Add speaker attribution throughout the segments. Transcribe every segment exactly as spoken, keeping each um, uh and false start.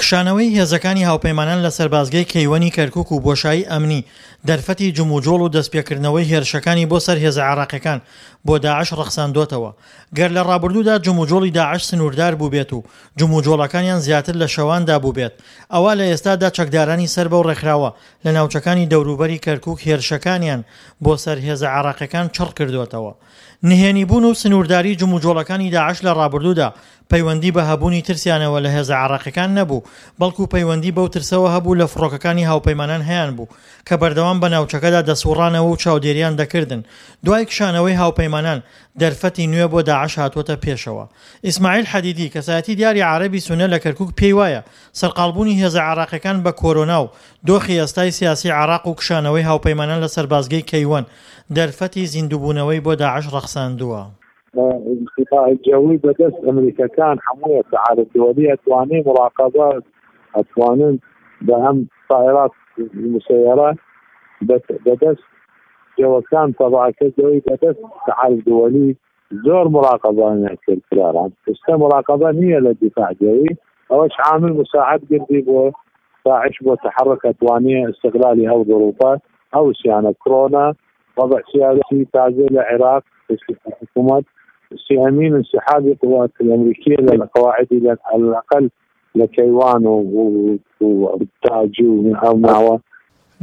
Speaker 1: کشانەوەی هێزەکانی هاوپەیمانان لە سەربازگەی کەیوەنی کەرکوک و بۆشایی ئەمنی، دەرفەتی جموجۆڵ و دەستپێکردنەوەی هێرشەکانی بۆ سەر هێزە عێراقیەکان بۆ داعش ڕەخساندۆتەوە. گەر لە ڕابردوودا جموجۆڵی داعش سنووردار بووبێت و جموجۆڵەکانیان زیاتر لە شەواندا بووبێت، ئەوا لە ئێستادا چەکدارانی سەر بەو ڕێکخراوە لە ناوچەکانی دەوروبەری کەرکوک هێرشەکانیان بۆ سەر هێزە عێراقیەکان چڕ کردۆتەوە. نهێنیبوون و سنوورداری جموجۆڵەکانی داعش لە ڕابردوودا پەیوەندی بە هەبوونی ترسیانەوە لە هێزە عێراقیەکان نەبوو، بەڵکو پەیوەندی بەو ترسەوە هەبوو لە فڕۆکەکانی هاوپەیمانان هەیانبوو کە بەردەوام بە ناوچەکەدا دەسوڕانەوە و چاودێریان دەکردن. دوای کشانەوەی هاوپەیمانان دەرفەتی نوێ بۆ داعش هاتووەتە پێشەوە. ئیسماعیل حەدیدی، کەسایەتی دیاری عارەبی سوننە لە کەرکوک پێی وایە سەرقاڵبوونی هێزە عێراقیەکان بە کۆرۆنا و دۆخی ئێستای سیاسی عێراق و کشانەوەی هاوپەیمانان لە سەربازگەی کەیوەن دەرفەتی زیندووبوونەوەی بۆ داعش ڕەخساندووە.
Speaker 2: الدفاع الجوي بەدەست ئەمریکەکان هەموویە تعارف دولي ئەتوانێ مراقبە ئەتوانن بە هەم طائرات مسيرة بەدەست جەوەکان تەبعەکە جەوی بەدەست تعارف دولي زۆر مراقبانیان کرد کراران. ئێستا مراقبە نییە لە دفاع جەوی، ئەوەش عامل مساعد کردی بۆ داعش بۆ تحرك ئەتوانێ استغلالی ئەو ظروفە ئەو سیانە کۆرۆنا وضع سياسي تازه للعراق حكومات سيامين انسحاب القوات الامريكيه للقواعد على الاقل لكيوان والتاج ومعوى.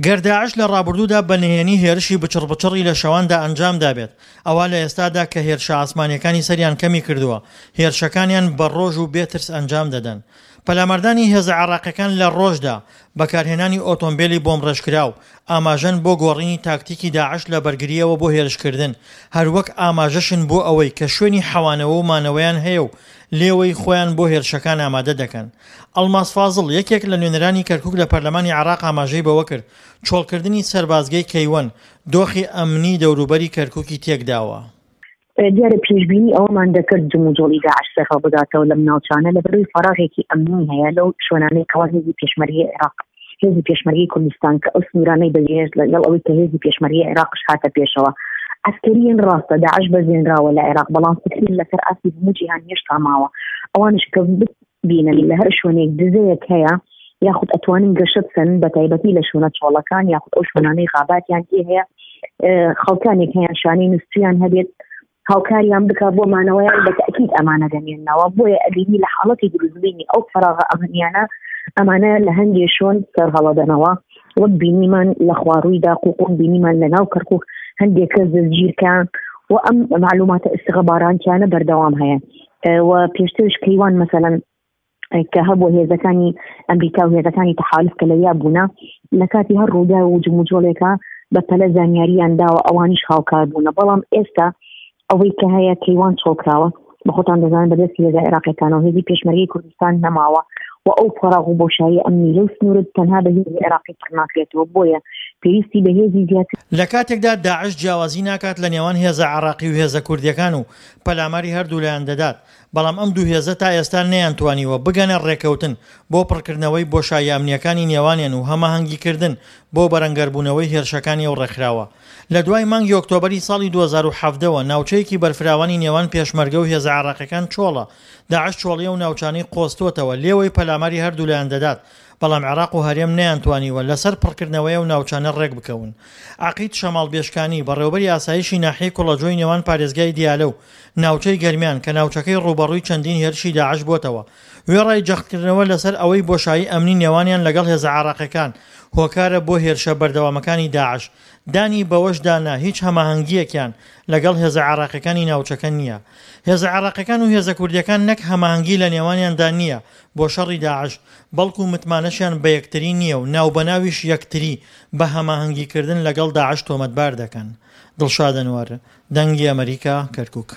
Speaker 1: گەر داعش لە ڕابردوودا بە نهێنی هێرشی بچڕبچڕی لە شەواندا ئەنجام دابێت، ئەوا لە ئێستادا کە هێرشە ئاسمانیەکانی سەریان کەمی کردووە، هێرشەکانیان بە ڕۆژ و بێترس ئەنجام دەدەن. پەلاماردانی هێزە عێراقیەکان لە ڕۆژدا بەکارهێنانی ئۆتۆمبیلی بۆمبڕێژکراو ئاماژەن بۆ گۆڕینی تاکتیکی داعش لە بەرگریەوە بۆ هێرشکردن، هەروەک ئاماژەشن بۆ ئەوەی کە شوێنی حەوانەوە و مانەوەیان هەیە و لێوەی خۆیان بۆ هێرشەکان ئامادە دەکەن. ئەڵماس فازڵ، یەکێک لە نوێنەرانی کەرکوک لە پەرلەمانی عێراق ئاماژەی بەوە کرد، چۆڵکردنی سەربازگەی کەیوەن دۆخی ئەمنی دەوروبەری کەرکوکی تێکداوە.
Speaker 3: دیارە پێشبینی ئەوەمان دەکرد جموجۆڵی داعش سەرهەڵبداتەوە لەم ناوچانە، لەبەرەوەی فەراغێکی ئەمنی هەیە لەو شوێنانەی کەوا هێزی پێشمەرگەی عێراق، هێزی پێشمەرگەی کوردستان کە ئەو سنوورانەی بەجێهێشت لەگەڵ ئەوەی کە هێزی پێشمەرگەی عێراقش هاتە پێشەوە. عەسکەریان ڕاستە داعش بەزێنراوە لە عێراق، بەڵام فکرین لەسەر ئاستی هەموو جیهان هێشتا ماوە. ئەوانش کە ببینن لە هەر شوێنێک دزەیەک هەیە یاخود ئەتوانن گەشە بکەن، بە تایبەتی لە شوێنە چۆڵەکان یاخود ئەو شوێنانەی غاباتیان تێ هەیە، خەڵکانێک هەیە شانەی نووسیان هەبێت هاوکاریان بکە بۆ مانەوەیان، بە تەئکید ئەمانە دەمێننەوە. بۆیە ئەبینی لە حاڵەتی دروستبوونی ئەو فەراغە ئەمنیانە ئەمانە لە هەندێ شوێن سەرهەڵەدەنەوە، وەک بینیمان لە خوارووی داقوق، وەک بینیمان لە ناو کەرکوک هەندێک کەس دەستگیرکان و ئەم معلوماتە ئیستخباراتیانە بەردەوام هەیە. و پێشترش کەیوان مەسەلەن کە هەبوو هێزەکانی ئەمریکا و هێزەکانی تەحالف کە لەویا بوونە، لە کاتی هەر ڕووداو و جموجۆڵێکە بە پەلە زانیاریان داوە، ئەوانیش هاوکار بوونە. بەڵام ئێستا ئەوەی کە هەیە کەیوان چۆڵکراوە، بە خۆتان دەزانن بەدەستی هێزە عێراقیەکانەوە هێزی پێشمەرگەی کوردستان نەماوە و ئەو فەراغ و بۆشایی ئەمنی لەو سنوورە تەنها بە هێزی عێراقی پڕ ناکرێتەوە، بۆیە پێویستی بە هێزی زیاتر.
Speaker 1: لە کاتێکدا داعش جیاوازی ناکات لە نێوان هێزە عێراقی و هێزە کوردیەکان و پەلاماری هەردوولایان دەدات، بەڵام ئەم دوو هێزە تا ئێستا نەیانتوانیوە بگەنە ڕێکەوتن بۆ پڕکردنەوەی بۆشایی ئەمنیەکانی نێوانیان و هەماهەنگیکردن بۆ بەرەنگاربوونەوەی هێرشەکانی ئەو ڕێکخراوە. لە دوای مانگی ئۆکتۆبەری ساڵی دوو هەزار و حەڤدە وە ناوچەیەکی بەرفراوانی نێوان پێشمەرگە و هێزە عێراقیەکان چۆڵە، داعش چۆڵی ئەو ناوچانەی قۆستۆتەوە لێوەی پەلاماری هەردوولایان دەدات، بەڵام عێراق و هەرێم نەیانتوانیوە لەسەر پڕکردنەوەی ئەو ناوچانە ڕێک بکەون. عەقید شەماڵ بێشکانی، بەڕێوەبەری ئاسایشی ناحیەی کوڵەجۆی نێوان پارێزگای دیالە و ناوچەی گەرمیان کە ناوچەکەی ڕووبەڕووی چەندین هێرشی داعش بۆتەوە، وێڕای جەختکردنەوە لەسەر ئەوەی بۆشایی ئەمنی نێوانیان لەگەڵ هێزە عێراقیەکان هۆکارە بۆ هێرشە بەردەوامەکانی داعش، دانی بەوەشدا نا هیچ هەماهەنگییەکیان لەگەڵ هێزە عێراقیەکانی ناوچەکە نییە. هێزە عێراقیەکان و هێزە کوردیەکان نەک هەماهەنگی لە نێوانیاندا نییە بۆ شەڕی داعش، بەڵکو متمانەشیان بە یەکتری نییە و ناوبەناویش یەکتری بە هەماهەنگیکردن لەگەڵ داعش تۆمەتبار دەکەن. دڵشاد ئەنوەر، دەنگی ئەمەریکا، کەرکوک.